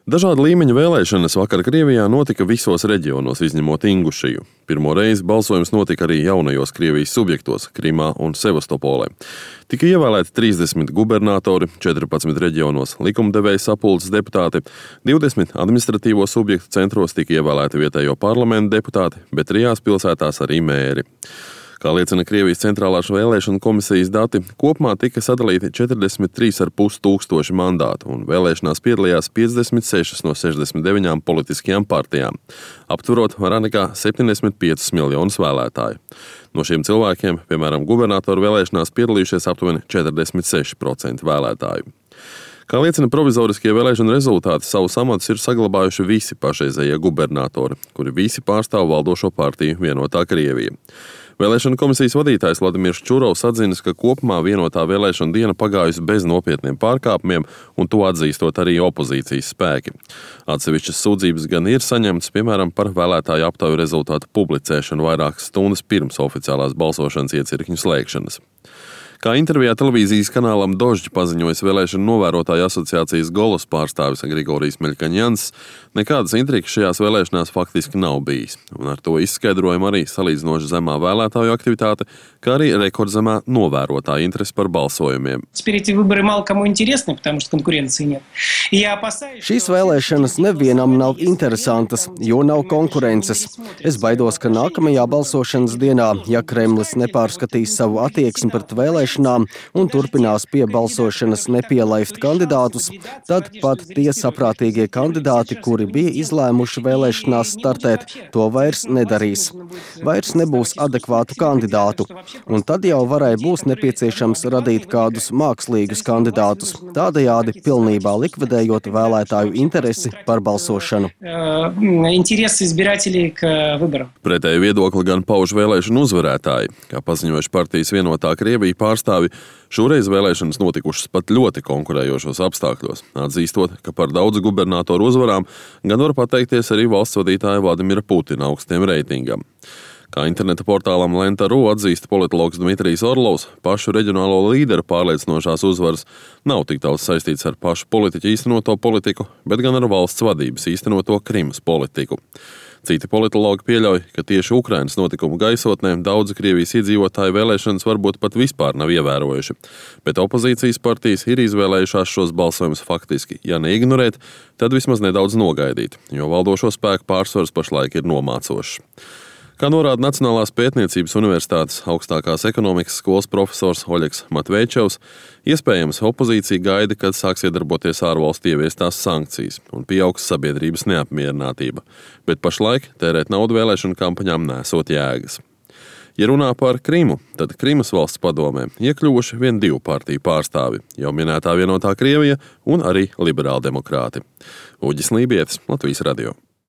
Dažādu līmeņu vēlēšanas vakar Krievijā notika visos reģionos, izņemot Ingušiju. Pirmo reizi balsojums notika arī jaunajos Krievijas subjektos – Krimā un Sevastopolē. Tika ievēlēti 30 gubernatori, 14 reģionos likumdevēja sapulces deputāti, 20 administratīvo subjektu centros tika ievēlēti vietējo parlamentu deputāti, bet 3 pilsētās arī mēri. Kā liecina Krievijas centrālās vēlēšanu komisijas dati, kopumā tika sadalīti 43,5 tūkstoši mandātu un vēlēšanās piedalījās 56 no 69 politiskajām partijām, aptverot vairāk nekā 75 miljonus vēlētāju. No šiem cilvēkiem, piemēram, gubernatoru vēlēšanās piedalījušies aptuveni 46% vēlētāju. Kā liecina provizoriskie vēlēšanu rezultāti, savus amatus ir saglabājuši visi pašreizējie gubernatori, kuri visi pārstāv valdošo partiju Vienotā Krievija. Vēlēšanu komisijas vadītājs Vladimirs Čurovs atzinis, ka kopumā vienotā vēlēšana diena pagājusi bez nopietniem pārkāpumiem, un to atzīstot arī opozīcijas spēki. Atsevišķas sūdzības gan ir saņemtas, piemēram, par vēlētāju aptauju rezultātu publicēšanu vairākas stundas pirms oficiālās balsošanas iecirkņu slēgšanas. Kā intervijā televīzijas kanālam Dožģi paziņojis vēlēšanu novērotāju asociācijas Golos pārstāvis Grigorijs Meļkaņjans, nekādas intrigas šajās vēlēšanās faktiski nav bijis. Un ar to izskaidrojumu arī salīdzinoši zemā vēlētāju aktivitāte, kā arī rekordzemā novērotāja interese par balsojumiem. Šīs vēlēšanas nevienam nav interesantas, jo nav konkurences. Es baidos, ka nākamajā balsošanas dienā, ja Kremlis nepārskatīs savu attieksmi pret vēlēšanām un turpinās pie balsošanas nepielaift kandidātus, tad pat tie saprātīgie kandidāti, kuri bija izlēmuši vēlēšanās startēt, to vairs nedarīs. Vairs nebūs adekvātu kandidātu, un tad jau varēja būs nepieciešams radīt kādus mākslīgus kandidātus, tādējādi pilnībā likvidējot vēlētāju interesi par balsošanu. Pretēju viedokli gan pauž vēlēšanu uzvarētāji, kā paziņojuši partijas Vienotā Krievija pārstāvi, šoreiz vēlēšanas notikušas pat ļoti konkurējošos apstākļos, atzīstot, ka par daudz gubernatoru uzvarām gan var pateikties arī valsts vadītāja Vladimira Putina augstiem reitingam. Kā interneta portālam Lenta.ru atzīst politologs Dmitrijs Orlovs, pašu reģionālo līderu pārliecinošās uzvaras nav tik daudz saistīts ar pašu politiķu īstenoto politiku, bet gan ar valsts vadības īstenoto Krimas politiku. Citi politologi pieļauj, ka tieši Ukrainas notikumu gaisotnē daudzi Krievijas iedzīvotāju vēlēšanas varbūt pat vispār nav ievērojuši, bet opozīcijas partijas ir izvēlējušās šos balsojumus faktiski, ja neignorēt, tad vismaz nedaudz nogaidīt, jo valdošo spēku pārsvars pašlaik ir nomācošs. Kā norāda Nacionālās pētniecības universitātes augstākās ekonomikas skolas profesors Oļegs Matveičevs, iespējams opozīcija gaida, kad sāks iedarboties ārvalstu ieviestās sankcijas un pieaugs sabiedrības neapmierinātība, bet pašlaik tērēt naudu vēlēšanu kampaņām nesot jēgas. Ja runā par Krimu, tad Krimas valsts padomē iekļuvuši vien 2 partiju pārstāvi, jau minētā Vienotā Krievija un arī liberāldemokrāti. Uģis Lībietis, Latvijas radio.